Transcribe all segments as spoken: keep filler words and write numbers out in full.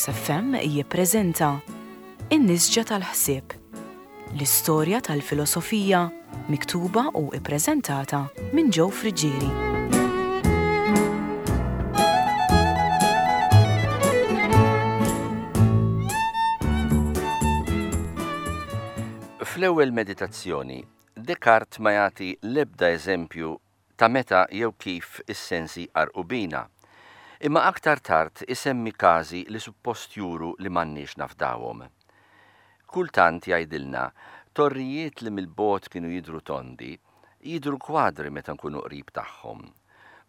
Caritas F M jippreżenta In-Nisġa tal-Ħsieb, l-istorja tal-filosofija miktuba u ippreżentata minn Joe Friggieri. Fl-ewwel meditazzjoni, Descartes ma jagħti l-ebda eżempju ta' meta jew kif is-sensi qarrqu bina. Imma aktar tard isemmi każi li suppost juru li m'għandniex nafdawhom. Kultant, jgħidilna, torrijiet li mill-bogħod kienu jidru tondi, jidru kwadri meta nkunu qrib tagħhom.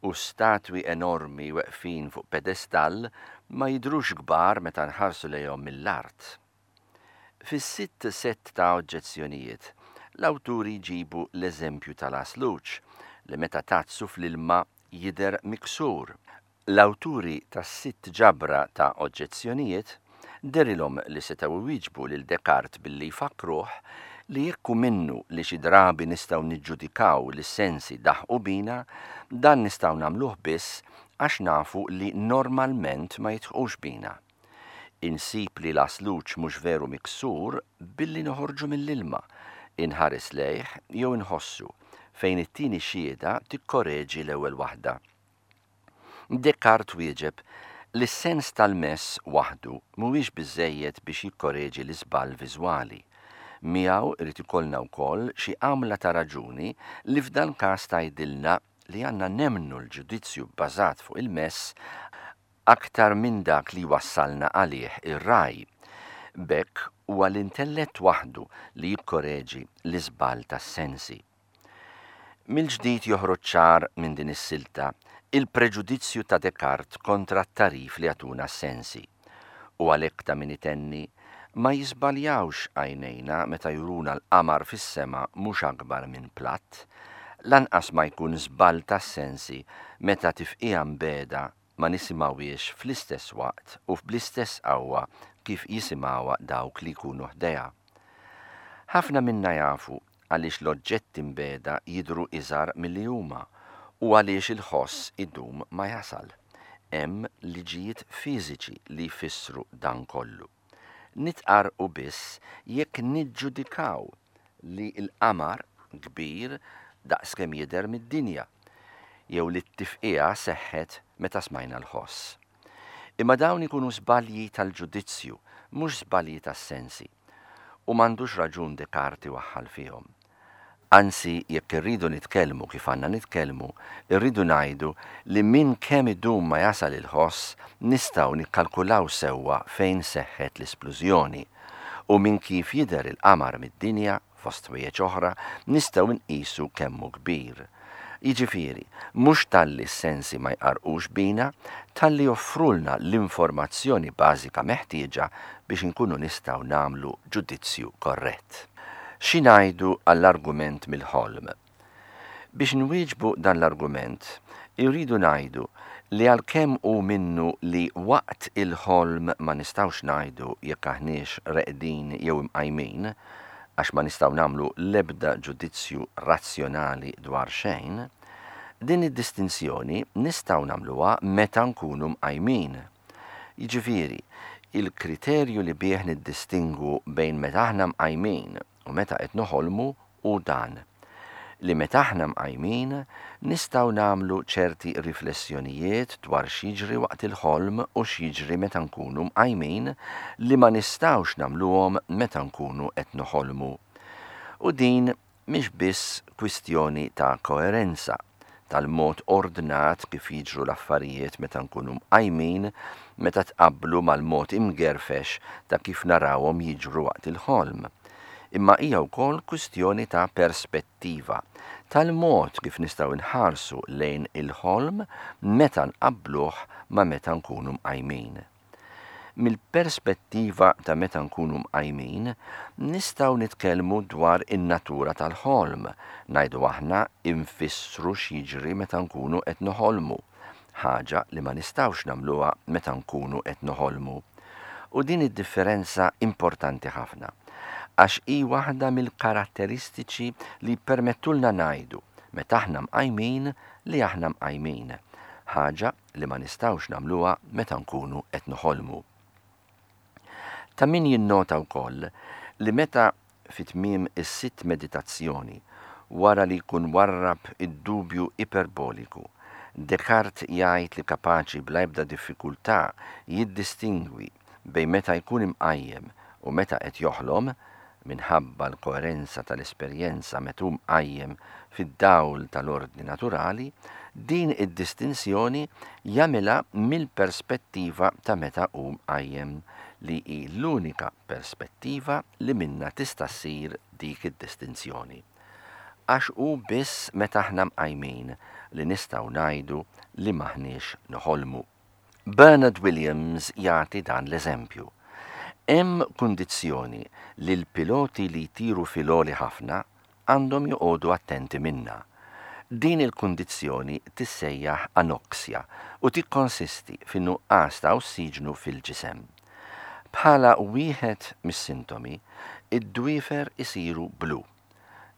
U statwi enormi weqfin fuq pedestall ma jidrux kbar meta nħarsu lejhom mill-art. Fis-sitt set ta' oġġezzjonijiet, l-awturi jġibu l-eżempju tal-għasluġ li meta tgħaddsu fl-ilma jidher miksur. L-awturi tas-sitt ġabra ta' oġġezzjonijiet dehrilhom li setgħu iwieġbu lil Descartes billi jfakruh li jekk hu minnu li xi drabi nistgħu niġġudikaw li s-sensi daħqu bina, dan nistgħu nagħmluh biss għax nafu li normalment ma jidħqux bina. Insib li l-għasluġ mhux veru miksur billi noħorġu mill-ilma, inħares lejh jew inħossu, fejn it-tieni xhieda tikkoreġi l-ewwel waħda. Descartes wieġeb li s-sens tal-mess waħdu mhuwiex biżejjed biex jikkoreġi l-iżball viżwali. Miegħu irid ikollna wkoll xi għamla ta' raġuni li f'dan każ tgħidilna li għandna nemmnu l-ġudizzju bbażat fuq il-mess aktar minn dak li wassalna għalih ir-raj. B'hekk huwa l-intellett waħdu li jikkoreġi l-iżball tas-sensi. Mill-ġdid joħroġ ċar minn din is-silta il-preġudizzju ta' Descartes kontra t-tagħrif li jagħtuna s-sensi. U għalhekk ta' min itenni, ma jiżbaljawx għajnejna meta juruna l-qamar fis-sema mhux akbar minn platt, lanqas ma jkun żball tas-sensi meta tifqija mbeda ma nisimgħuhiex fl-istess waqt u bl-istess qawwa kif jisimgħuha dawk li jkunu ħdejha. Ħafna minna jafu għaliex l-oġġetti mbeda jidhru iżgħar milli huma u għaliex il-ħoss idum ma jasal. Hemm liġijiet fiżiċi li jfissru dan kollu. Nitqarqu biss jekk niġġudikaw li l-qamar kbir daqs kemm jidher mid-dinja, jew li t-tifqija seħħet meta smajna l-ħoss. Imma dawn ikunu żbalji tal-ġudizzju, mhux żbalji tas-sensi, u m'għandux raġun Descartes iwaħħal fihom. Anzi, jekk irridu nitkellmu kif għandna nitkellmu, irridu ngħidu li minn kemm idum ma jasal il-ħoss nistgħu nikkalkulaw sewwa fejn seħħet l-isplużjoni, u minn kif jidher il-qamar mid-dinja, fost ħwejjeġ oħra, nistgħu nqisu kemm hu kbir. Jiġifieri, mhux talli s-sensi ma jqarqux bina, talli joffrulna l-informazzjoni bażika meħtieġa biex inkunu nistgħu nagħmlu ġudizzju korrett. Xi ngħidu għall-argument mill-ħolm? Biex nwieġbu dan l-argument, irridu ngħidu li għalkemm hu minnu li waqt il-ħolm ma nistgħux ngħidu jekk aħniex reqdin jew imqajmin, għax ma nistgħu nagħmlu l-ebda ġudizzju razzjonali dwar xejn, din id-distinzjoni nistgħu nagħmluha meta nkunu mqajmin. Jiġifieri, il-kriterju li bih niddistingwu bejn meta aħna mqajmin u meta qed noħolmu hu dan, li meta aħna mqajmin nistgħu nagħmlu ċerti riflessjonijiet dwar x'jiġri waqt il-ħolm u x'jiġri meta nkunu mqajmin li ma nistgħux nagħmluhom meta nkunu qed noħolmu. U din mhix biss kwistjoni ta' koerenza, tal-mod ordnat kif jiġru l-affarijiet meta nkunu mqajmin meta tqabblu mal-mod imgerfex ta' kif narawhom jiġru waqt il-ħolm. Imma hija wkoll kwistjoni ta' perspettiva, tal-mod kif nistgħu nħarsu lejn il-ħolm meta nqabbluh ma' meta nkunu mqajmin. Mill-perspettiva ta' meta nkunu mqajmin, nistgħu nitkellmu dwar in-natura tal-ħolm, ngħidu aħna infissru x'jiġri meta nkunu qed noħolmu, ħaġa li ma nistgħux nagħmluha meta nkunu qed noħolmu. U din id-differenza importanti ħafna, għax hi waħda mill-karatteristiċi li permettulna ngħidu meta aħna mqajmin li aħna mqajmin, ħaġa li ma nistgħux nagħmluha meta nkunu qed noħolmu. Ta' min jinnota wkoll li meta fi tmiem is-sitt meditazzjoni, wara li jkun warrab id-dubju iperboliku, Descartes jgħid li kapaċi bla ebda diffikultà jiddistingwi bejn meta jkun imqajjem u meta qed joħlom, minħabba l-koerenza tal-esperjenza meta hu mqajjem fid-dawl tal-ordni naturali, din id-distinzjoni jagħmilha mill-perspettiva ta' meta hu mqajjem, li hi l-unika perspettiva li minnha tista' ssir dik id-distinzjoni. Għax hu biss meta aħna mqajmin li nistgħu ngħidu li m'aħniex noħolmu. Bernard Williams jagħti dan l-eżempju. Hemm kundizzjoni li l-piloti li jtiru fil-għoli ħafna għandhom joqogħdu attenti minnha. Din il-kundizzjoni tissejjaħ anoxja u tikkonsisti fin-nuqqas ta' ossiġnu fil-ġisem. Bħala wieħed mis-sintomi, id-dwiefer isiru blu.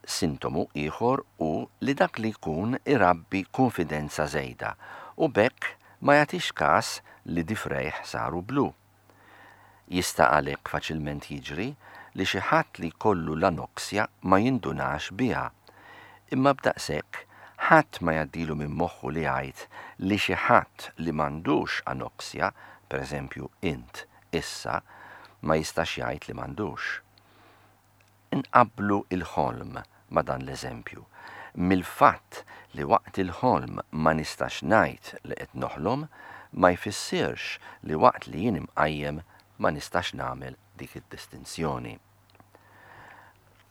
Sintomu ieħor hu li dak li jkun irabbi kunfidenza żejda u b'hekk ma jagħtix każ li difrejh saru blu. Jista' għalhekk faċilment jiġri li xi ħadd li jkollu l-anoxja ma jindunax biha. Imma b'daqshekk ħadd ma jgħaddilu minn moħħu li jgħid li xi ħadd li m'għandux anoxja, pereżempju int issa, ma jistax jgħid li m'għandux. Inqabblu il-ħolm ma' dan l-eżempju. Mill-fatt li waqt il-ħolm ma nistax ngħid li qed noħlom, ma jfissirx li waqt li jien imqajjem ma nistax nagħmel dik id-distinzjoni.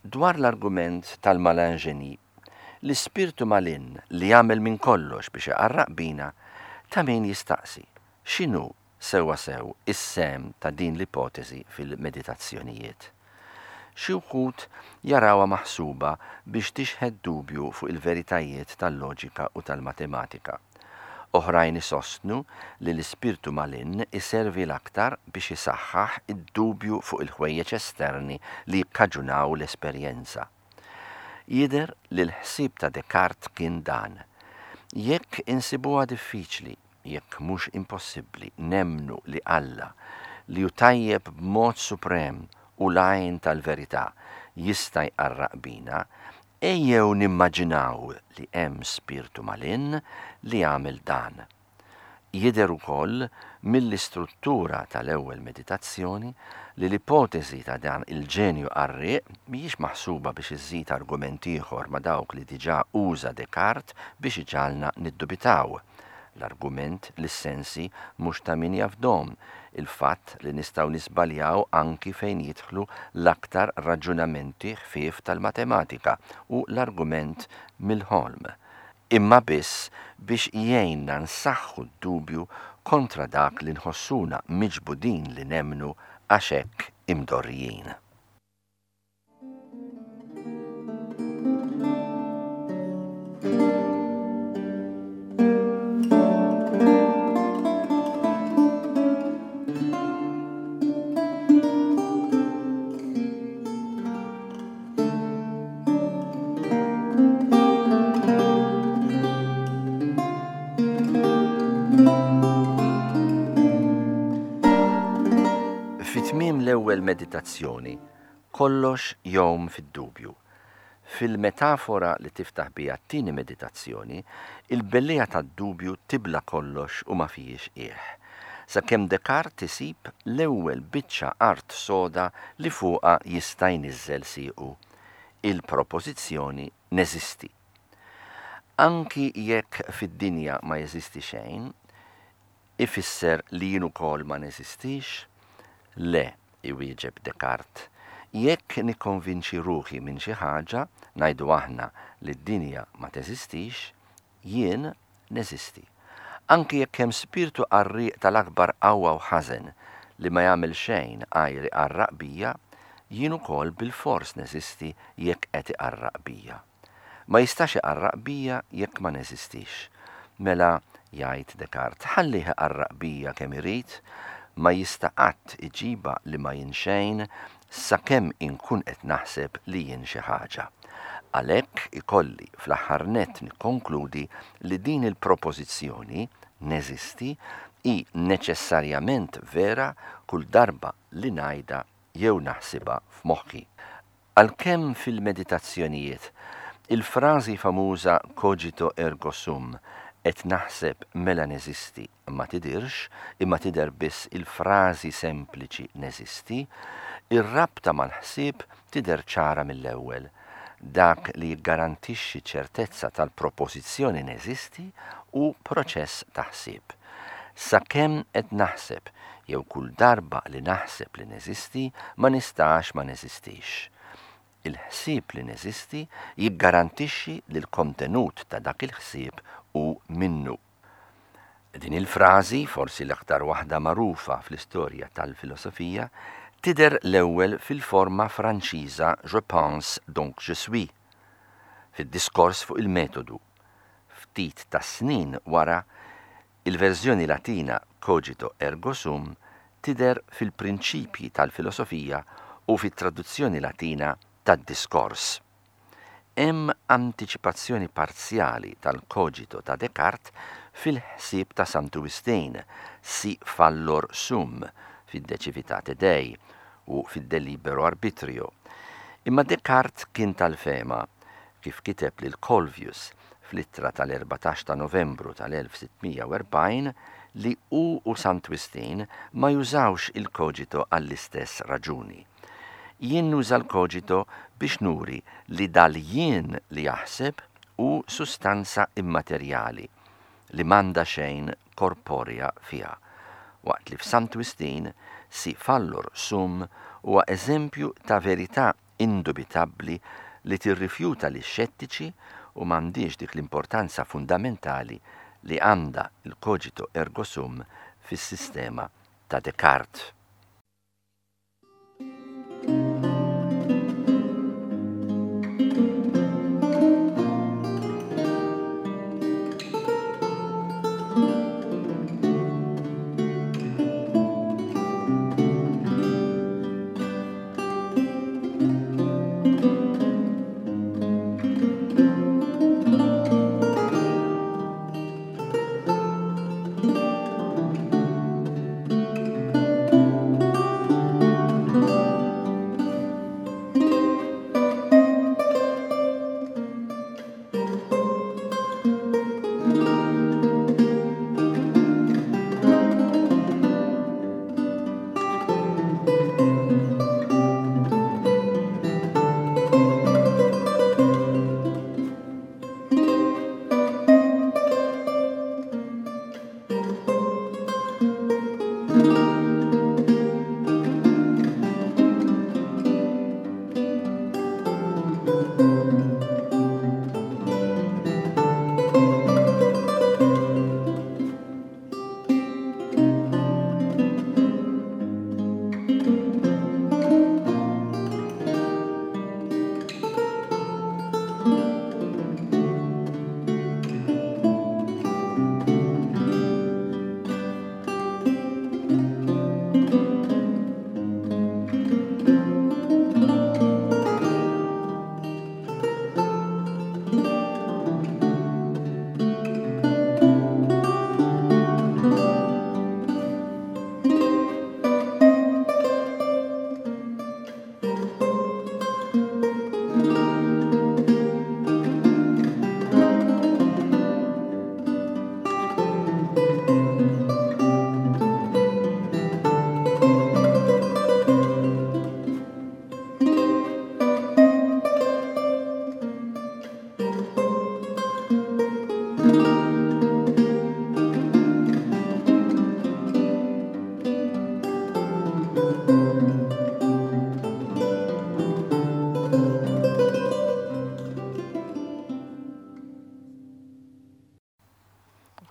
Dwar l-argument tal-malin génie, l-ispirtu malin li jagħmel minn kollox biex iqarraq bina, ta' min jistaqsi x'inhu sewwa sew is-sehem ta' din l-ipotezi fil-meditazzjonijiet. Xi wħud jarawha maħsuba biex tixħet dubju fuq il-veritajiet tal-loġika u tal-matematika. Oħrajn isostnu li l-ispirtu malin iservi l-aktar biex isaħħaħ id-dubju fuq il-ħwejjeġ esterni li jikkaġunaw l-esperjenza. Jidher li l-ħsieb ta' Descartes kien dan. Jekk insibuha diffiċli, jekk mhux impossibbli, nemmnu li Alla, li hu tajjeb b'mod suprem u l-għajn tal-verità, jista' jqarraq bina, ejjew nimmaġinaw li hemm spirtu malin li jagħmel dan. Jidher ukoll mill-istruttura tal-ewwel meditazzjoni li l-ipotezi ta' dan il-ġenju qarrieq mhijiex maħsuba biex iżżid argument ieħor ma' dawk li diġà uża Descartes biex iġagħalna niddubitaw. L-argument li s-sensi mhux ta' min jafdom, il-fatt li nistgħu nisbaljaw anki fejn jidħlu l-aktar raġunamenti ħfief tal-matematika u l-argument mill-ħolm, imma biss biex jgħinna nsaħħu d-dubju kontra dak li nħossuna miġbudin li nemmnu għax hekk imdorrijin. Fi tmiem l-ewwel meditazzjoni, kollox jgħum fid-dubju. Fil-metafora li tiftaħ biha t-tieni meditazzjoni, il-bellija tad-dubju tibla kollox u ma fihiex qiegħ. Sakemm Descartes isib l-ewwel biċċa art soda li fuqha jista' jniżżel siequ. Il-propożizzjoni neżisti. Anki jekk fid-dinja ma jeżisti xejn, ifisser li jien ukoll ma neżistix? Le, iwieġeb Descartes. Jekk nikkonvinċi ruħi minn xi ħaġa, ngħidu aħna li d-dinja ma teżistix, jien neżisti. Anki jekk hemm spirtu qarrieq tal-akbar qawwa u ħażen li ma jagħmel xejn għajr iqarraq bija, jien ukoll bilfors neżisti jekk qed iqarraq bija. Ma jistax iqarraq bija jekk ma neżistix. Mela, jgħid Descartes, ħallih iqarraq bija kemm irid, ma jista' qatt iġiba li ma jien xejn sakemm inkun qed naħseb li jien xi ħaġa. Għalhekk ikolli fl-aħħar nett nikkonkludi li din il-propożizzjoni neżisti hi neċessarjament vera kull darba li ngħidha jew naħsibha f'moħħi. Għalkemm fil-meditazzjonijiet il-frażi famuża cogito ergo sum, qed naħseb mela neżisti, ma tidirx, imma tidher biss il-frażi sempliċi neżisti, ir-rabta mal-ħsieb tidher ċara mill-ewwel. Dak li jiggarantixxi ċertezza tal-propożizzjoni neżisti hu proċess ta' ħsieb. Sakemm qed naħseb jew kull darba li naħseb li neżisti, ma nistax ma neżistix. Il-ħsieb li neżisti jiggarantixxi li l-kontenut ta' dak il-ħsieb hu minnu. Din il-frażi, forsi l-aktar waħda magħrufa fl-istorja tal-filosofija, tidher l-ewwel fil-forma Franċiża je pense donc je suis, fid-diskors fuq il-metodu. Ftit ta' snin wara, il-verżjoni Latina cogito ergo sum tidher fil-prinċipji tal-filosofija u fit-traduzzjoni Latina tad-diskors. Hemm antiċipazzjoni parzjali tal-cogito ta' Descartes fil-ħsieb ta' Santu Wistin, si fallor sum, fid-De Civitate Dei u fid-De Libero Arbitrio. Imma Descartes kien tal-fehma, kif kiteb lil Colvius fl-ittra tal-erbatax ta' Novembru tal-elf sitt mija u erbgħin, li hu u Sant Wistin ma jużawx il-cogito għall-istess raġuni. Jien nuża l-cogito biex nuri li dal-jien li jaħseb hu sustanza immaterjali li m'għandha xejn korporea fiha, waqt li f'Sant Wistin si fallor sum huwa eżempju ta' verità indubitabbli li tirrifjuta li xettiċi u m'għandix dik l-importanza fundamentali li għandha il-cogito ergo sum fis-sistema ta' Descartes.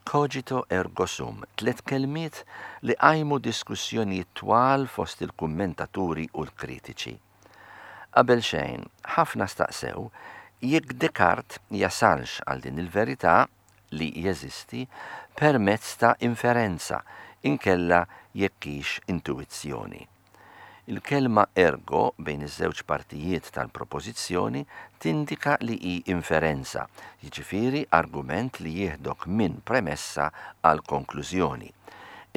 Cogito ergo sum, tliet kelmiet li qajmu diskussjonijiet twal fost il-kummentaturi u l-kritiċi. Qabel xejn, ħafna staqsew jekk Descartes jasalx għal din il-verità li jeżisti permezz ta' inferenza, inkella jekk hix intuizzjoni. Il-kelma ergo bejn iż-żewġ partijiet tal-propożizzjoni tindika li hi inferenza, jiġifieri argument li jieħdok minn premessa għal konklużjoni.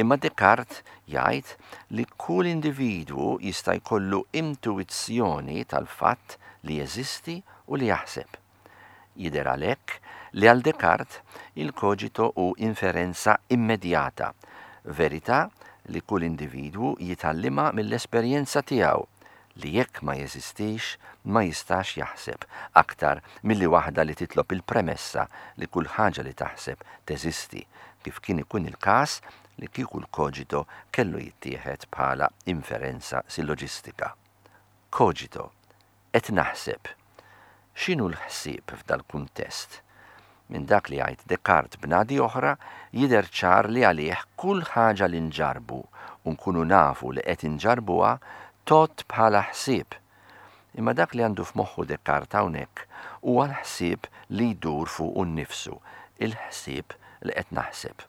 Imma Descartes jgħid li kull individwu jista' jkollu intuizzjoni tal-fatt li jeżisti u li jaħseb. Jidher għalhekk li għal Descartes il-cogito hu inferenza immedjata, verità li kull individwu jitgħallimha mill-esperjenza tiegħu li jekk ma jeżistix ma jistax jaħseb aktar milli waħda li titlob il-premessa li kull ħaġa li taħseb teżisti, kif kien ikun il-każ li kieku l-cogito kellu jittieħed bħala inferenza silloġistika. Cogito, qed naħseb. X'inhu l-ħsieb f'dal-kuntest? Minn dak li jgħid Descartes b'nadi oħra jidher ċar li għalih kull ħaġa li nġarbu u nkunu nafu li qed inġarbuha tgħodd bħala ħsieb. Imma dak li għandu f'moħħu Descartes hawnhekk huwa l-ħsieb li jdur fuqu nnifsu, il-ħsieb li qed naħseb.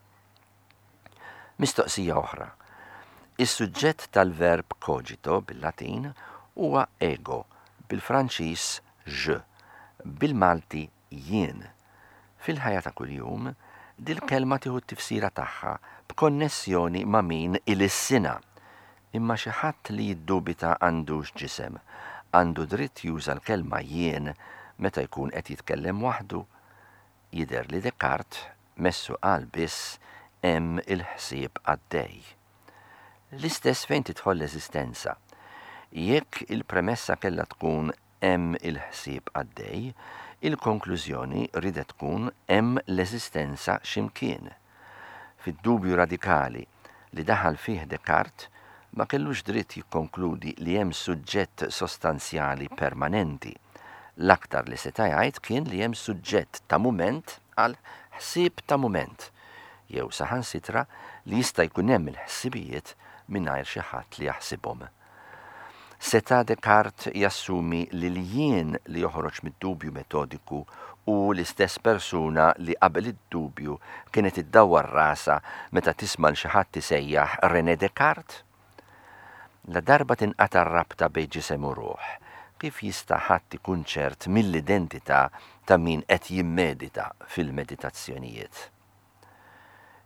Mistoqsija oħra. Is-suġġett tal-verb cogito bil-Latin huwa ego, bil-Franċiż je, bil-Malti jien. Fil-ħajja ta' kuljum, dil-kelma tieħu t-tifsira tagħha b'konnessjoni ma' min ilissinha. Imma xi ħadd li jiddubita għandux ġisem, għandu dritt juża l-kelma jien meta jkun qed jitkellem waħdu. Jidher li Descartes messu qal biss hemm il-ħsieb għaddej. L-istess fejn tidħol l-eżistenza. Jekk il-premessa kellha tkun hemm il-ħsieb għaddej, il-konklużjoni ridet tkun hemm l-eżistenza x'imkien. Fid-dubju radikali li daħal fih Descartes, ma kellux dritt jikkonkludi li hemm suġġett sostanzjali permanenti. L-aktar li seta' jgħid kien li hemm suġġett ta' mument għal ħsieb ta' mument, jew saħansitra li jista' jkun hemm il-ħsibijiet mingħajr xi ħadd li jaħsibhom. Seta' Descartes jassumi li l-jien li joħroġ mid-dubju metodiku u l-istess persuna li qabel id-dubju kienet iddawwar rasha meta tisma' l xi ħadd isejjaħ René Descartes? La darba tinqata' r-rabta bejn ġisem u ruħ, kif jista' ħadd ikun ċert mill-identità ta' min qed jimmedita fil-meditazzjonijiet?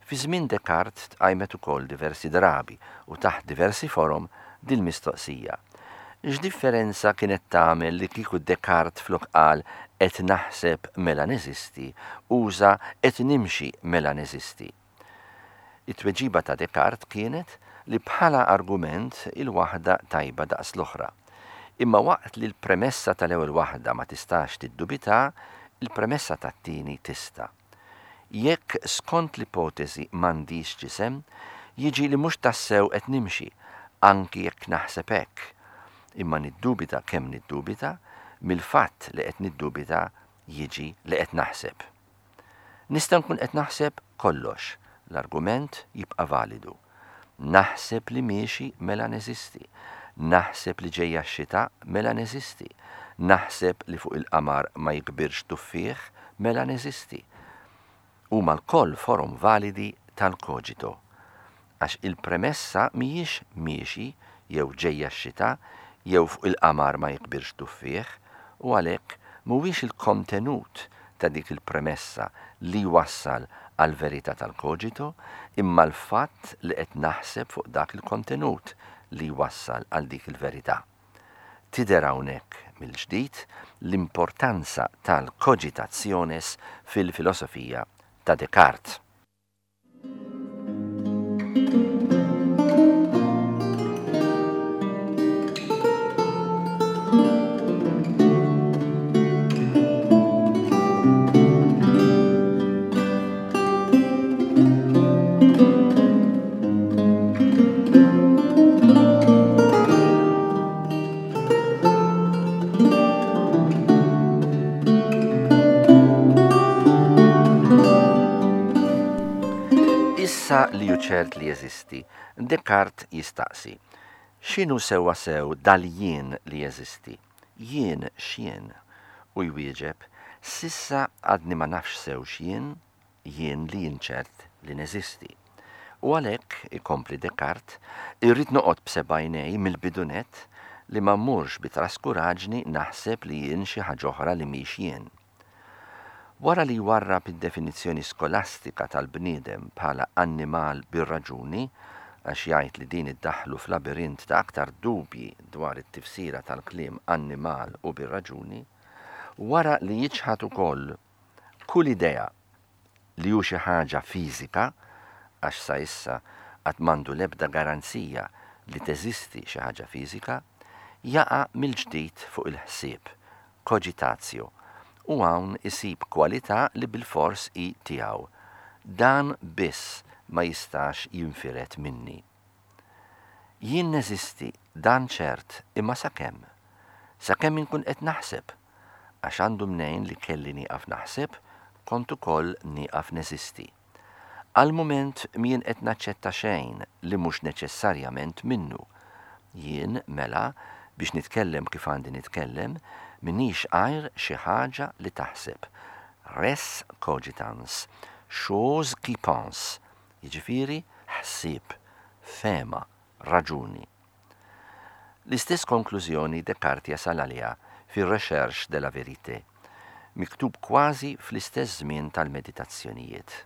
Fi żmien Descartes tqajmet ukoll diversi drabi u taħt diversi forom dil-mistoqsija. X'differenza kienet tagħmel li kieku Descartes flok qal qed naħseb mela neżisti, uża qed nimxi mela neżisti? It-tweġiba ta' Descartes kienet li bħala argument il-waħda tajba daqs l-oħra. Imma waqt li l-premessa tal-ewwel waħda ma tistax tiddubita, il-premessa tat-tieni tista'. Jekk skont l-ipotezi m'għandix ġisem, jiġi li mhux tassew qed nimxi, anki jekk naħseb hekk. Imma niddubita kemm niddubita, mill-fatt li qed niddubita jiġi li qed naħseb. Nista' nkun qed naħseb kollox, l-argument jibqa' validu. Naħseb li miexi mela neżisti, naħseb li ġejja x-xita mela neżisti, naħseb li fuq il-qamar ma jikbirx tuffieħ mela neżisti. Huma lkoll forom validi tal-cogito, għax il-premessa mhijiex miexi jew ġejja x-xita jew fuq il-qamar ma jikbirx tuffieħ, u għalhekk mhuwiex il-kontenut ta' dik il-premessa li wassal għal-verità tal-cogito, imma l-fatt li qed naħseb fuq dak il-kontenut li wassal għal dik il-verità. Tidher hawnhekk mill-ġdid l-importanza tal-cogitationes fil-filosofija ta' Descartes. Issa li hu ċert li jeżisti, Descartes jistaqsi, x'inhu sewwa sew dal-jien li jeżisti? Jien x'jien? U jwieġeb, sissa għadni ma nafx sew x'jien, jien li jien ċert li neżisti. U għalhekk, ikompli Descartes, irrid noqgħod b'sebgħinej mill-bidunet li ma mmurx bi traskuraġni naħseb li jien xi ħaġa oħra li mhix jien. Wara li jwarrab id-definizzjoni skolastika tal-bniedem bħala annimal bir-raġuni, għax jgħid li din iddaħħlu f'labirint ta' aktar dubji dwar it-tifsira tal-kliem annimal u bir-raġuni, wara li jiċħad ukoll kull idea li hu xi ħaġa fiżika, għax sa issa qatt m'għandu l-ebda garanzija li teżisti xi ħaġa fiżika, jaqa' mill-ġdid fuq il-ħsieb, cogitatio, u hawn isib kwalità li bilfors hi tiegħu. Dan biss ma jistax jinfired minni. Jien neżisti, dan ċert, imma sakemm? Sakemm inkun qed naħseb, għax għandu mnejn li kelli nieqaf naħseb, kont ukoll nieqaf neżisti. Għal mument m'jien qed naċċetta xejn li mhux neċessarjament minnu. Jien, mela, biex nitkellem kif għandi nitkellem, minix għajr xi ħaġa li taħseb. Res cogitans, chose qui pense, jiġifieri ħsieb, fehma, raġuni. L-istess konklużjoni Descartes jasal għaliha fir-Recherche de la Vérité, miktub kważi fl-istess żmien tal-meditazzjonijiet.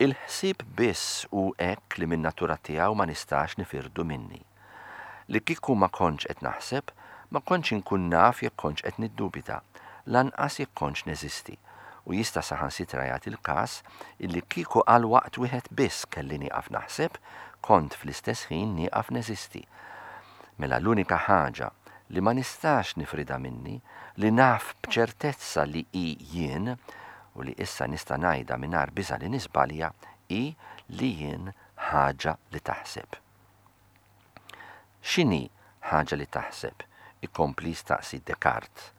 Il-ħsieb biss hu hekk li min-natura tiegħu ma nistax nifirdu minni. Li kieku ma kontx qed naħseb, ma kontx inkun naf jekk kontx qed niddubita, lanqas jekk kontx neżisti, u jista' saħansitra jagħti l-każ illi kieku għal waqt wieħed biss kelli nieqaf naħseb, kont fl-istess ħin nieqaf neżisti. Mela l-unika ħaġa li ma nistax nifrida minni, li naf b'ċertezza li hi jien, u li issa nista' ngħidha mingħajr biża' li niżbalja, hi li jien ħaġa li taħseb. X'inhi ħaġa li taħseb? Ikompli jistaqsi Descartes.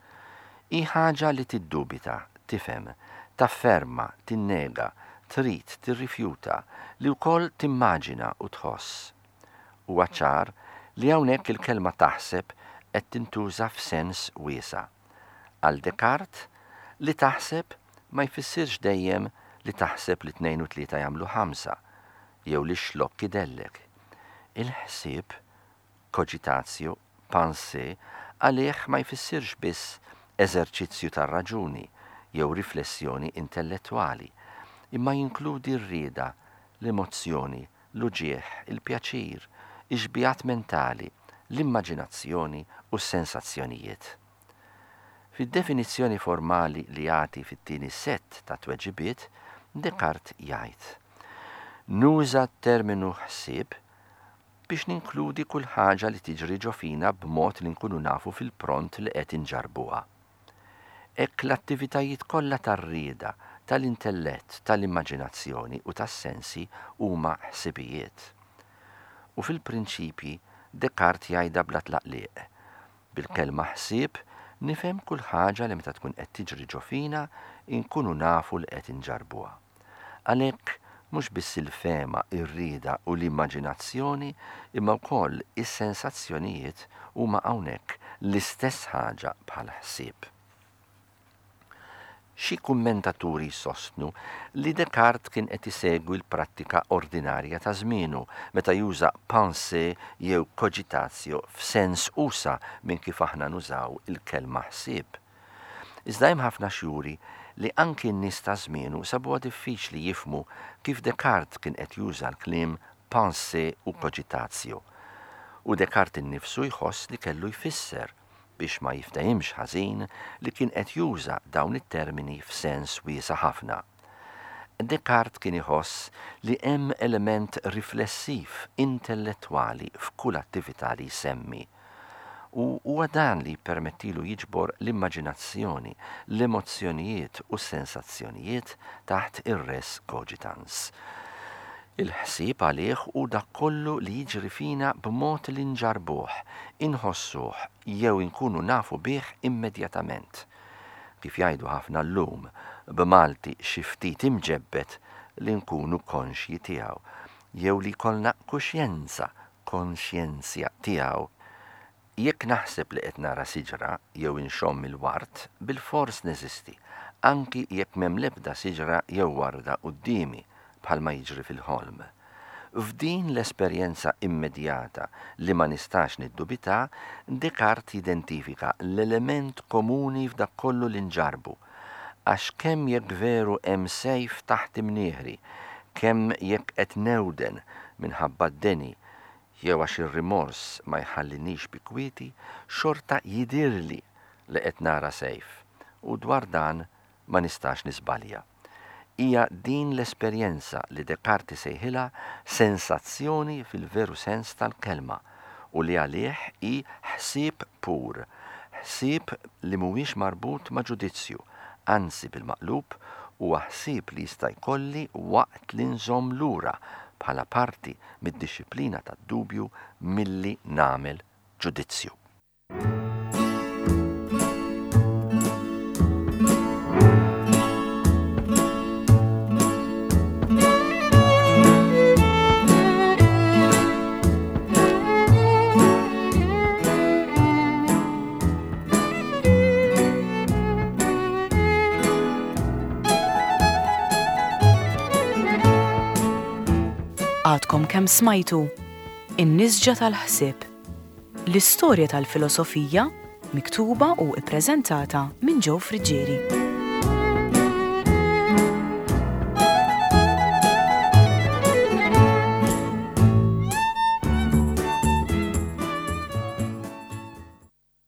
Hi ħaġa li tiddubita, tifhem, tafferma, tinnega, trid, tirrifjuta, li wkoll timmaġina u tħoss. Huwa ċar li hawnhekk il-kelma taħseb qed tintuża f'sens wiesa'. Għal Descartes, li taħseb ma jfissirx dejjem li taħseb li tnejn u tlieta jagħmlu ħamsa, jew li xlokk idellek. Il-ħsieb, cogitatio, pensée, għalih ma jfissirx biss eżerċizzju tar-raġuni jew riflessjoni intellettwali, imma jinkludi r-rieda, l-emozzjoni, l-uġigħ, il-pjaċir, ix-xbihat mentali, l-immaġinazzjoni u s-sensazzjonijiet. Fid-definizzjoni formali li jagħti fit-tieni sett ta' tweġibiet, Descartes jgħid: Nuża t-terminu ħsieb biex ninkludi kull ħaġa li tiġri ġo fina b'mod li nkunu nafu fil-pront li qed inġarbuha. Hekk l-attivitajiet kollha tar-rieda, tal-intellett, tal-immaġinazzjoni u tas-sensi huma ħsibijiet. U fil-prinċipji Descartes jgħidha bla tlaqliq. Bil-kelma ħsieb nifhem kull ħaġa li meta tkun qed tiġri ġo fina inkunu nafu li qed inġarbuha. Għalhekk mhux biss il-fehma, ir-rieda u l-immaġinazzjoni, imma wkoll is-sensazzjonijiet huma hawnhekk l-istess ħaġa bħal ħsieb. Xi kummentaturi jsostnu li Descartes kien qed isegwi l-prattika ordinarja ta' żmienu meta juża pensée jew cogitatio f'sens usa' minn kif aħna nużaw il-kelma ħsieb. Iżda hemm ħafna x'juri li anki n-nies ta' żmienu sabuha diffiċli jifhmu kif Descartes kien qed juża l-kliem pensée u cogitatio. U Descartes innifsu jħoss li kellu jfisser biex ma jiftehimx ħażin li kien qed juża dawn it-termini f'sens wiesa' ħafna. Descartes kien iħoss li hemm element riflessiv intellettwali f'kull attività li jsemmi. U huwa dan li jippermettilu jiġbor l-immaġinazzjoni, l-emozzjonijiet u s-sensazzjonijiet taħt ir-res cogitans. Il-ħsieb għalih hu dak kollu li jiġri fina b'mod li nġarbuh, inħossuh jew inkunu nafu bih immedjatament. Kif jgħidu ħafna llum, b'Malti xi ftit imġebbed li nkunu konxji tiegħu, jew li jkollna kuxjenza, konxjenzja tiegħu. Jekk naħseb li qed nara siġra jew inxomm il-ward, bilfors neżisti, anki jekk m'hemm l-ebda siġra jew warda quddiemi, bħalma jiġri fil-ħolm. F'din l-esperjenza immedjata li ma nistax niddubita, Descartes jidentifika l-element komuni f'dak kollu li nġarbu, Għax kemm jekk veru hemm sejf taħt imnieħri, kemm jekk qed newden minħabba d-deni, jew għax ir-rimors ma jħallinix bi kwieti, xorta jidhirli li qed nara sejf, u dwar dan ma nistax niżbalja. Hija din l-esperjenza li Descartes sejħilha sensazzjoni fil-veru sens tal-kelma u li għalih hi ħsieb pur, ħsieb li mhuwiex marbut ma' ġudizzju, anzi bil-maqlub huwa ħsieb li jista' jkolli waqt li nżomm lura bħala parti mid-dixxiplina tad-dubju milli nagħmel ġudizzju. Għadkom kemm smajtu In-Nisġa tal-Ħsieb, l-istorja tal-filosofija miktuba u ippreżentata minn Joe Friggieri.